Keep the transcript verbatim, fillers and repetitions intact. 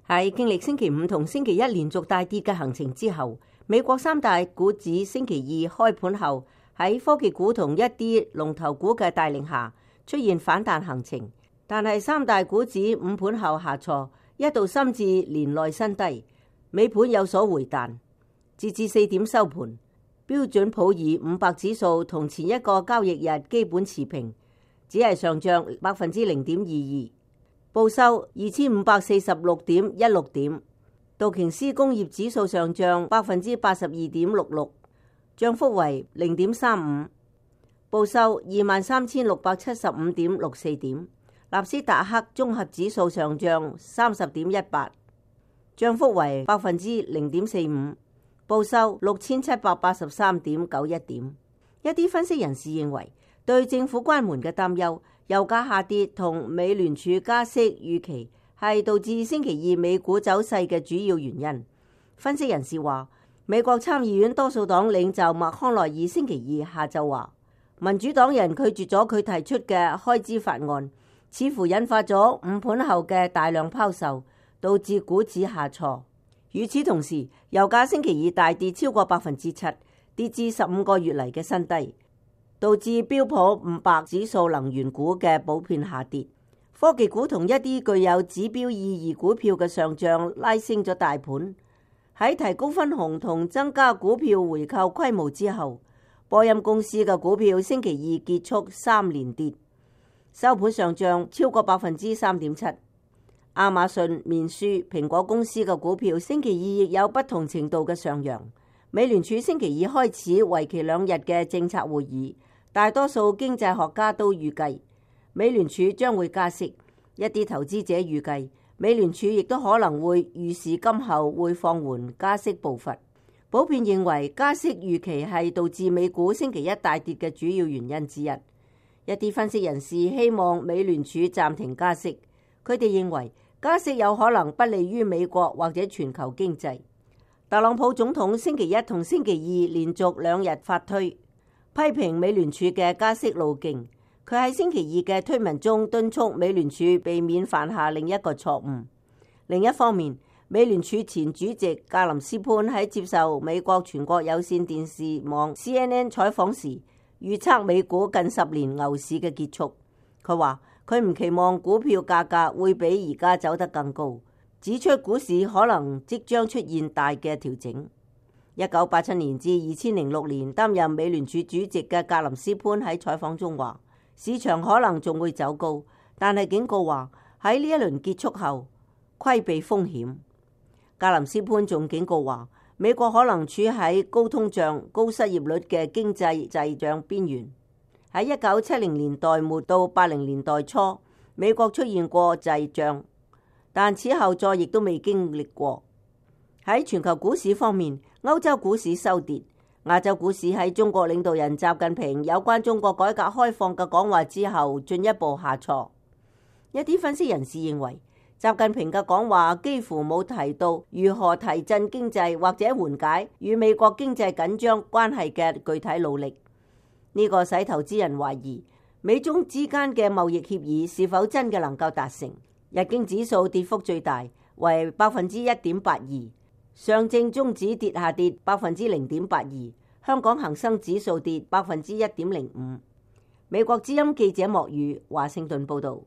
喺經歷星期五同星期一連續大跌嘅行情之後，美國三大股指星期二開盤後喺科技股同一啲龍頭股嘅帶領下出現反彈行情，但係三大股指午盤後下挫，一度深至年內新低，尾盤有所回彈。截至四點收盤，標準普爾五百指數同前一個交易日基本持平，只係上漲百分之零點二二，報收二千五百四十六點一六點。道瓊斯工業指數上漲百分之八十二點六六，漲幅為零點三五，報收二萬三千六百七十五點六四點。納斯達克綜合指數上漲三十點一八，漲幅為百分之零點四五，報收六千七百八十三點九一點。一啲分析人士認為，對政府關門嘅擔憂、油價下跌同美聯儲加息預期係導致星期二美股走勢嘅主要原因。分析人士話，美國參議院多數黨領袖麥康奈爾星期二下晝話，民主黨人拒絕咗佢提出嘅開支法案，似乎引發咗午盤後嘅大量拋售，導致股指下挫。與此同時，油價星期二大跌超過百分之七，跌至十五個月嚟嘅新低，導致標普五百指數能源股嘅普遍下跌。科技股同一啲具有指標意義股票嘅上漲拉升咗大盤。喺提高分紅同增加股票回購規模之後，波音公司嘅股票星期二結束三連跌，收盤上漲超過百分之三點七。亞馬遜、面書、蘋果公司嘅股票星期二亦有不同程度嘅上揚。美聯儲星期二開始為期兩日嘅政策會議，大多數經濟學家都預計美聯儲將會加息，一啲投資者預計美聯儲亦都可能會預示今後會放緩加息步伐。普遍認為加息預期係導致美股星期一大跌嘅主要原因之一。一啲分析人士希望美聯儲暫停加息，佢哋認為加息有可能不利於美國或者全球經濟。特朗普總統星期一同星期二連續兩日發推，批評美聯儲嘅加息路徑。佢喺星期二嘅推文中敦促美聯儲避免犯下另一個錯誤。另一方面，美聯儲前主席格林斯潘喺接受美國全國有線電視網 C N N 採訪時，預測美股近十年牛市嘅結束。佢話佢唔期望股票價格會比而家走得更高，指出股市可能即將出現大嘅調整。一九八七年至二千零六年擔任美聯儲主席嘅格林斯潘喺採訪中話，市場可能仲會走高，但係警告話喺呢一輪結束後規避風險。格林斯潘仲警告話，美國可能處喺高通脹、高失業率嘅經濟滯脹邊緣。喺一九七零年代末到八零年代初，美國出現過滯脹，但此後再亦都未經歷過。喺全球股市方面，歐洲股市收跌，亞洲股市喺中國領導人習近平有關中國改革開放嘅講話之後進一步下挫。一啲分析人士認為，習近平嘅講話幾乎冇提到如何提振經濟或者緩解與美國經濟緊張關係嘅具體努力。呢個使投資人懷疑美中之間嘅貿易協議是否真嘅能夠達成。日經指數跌幅最大，為百分之一點八二，上證綜指跌下跌百分之零點八二，香港恒生指數跌百分之一點零五。美國之音記者莫宇華盛頓報道。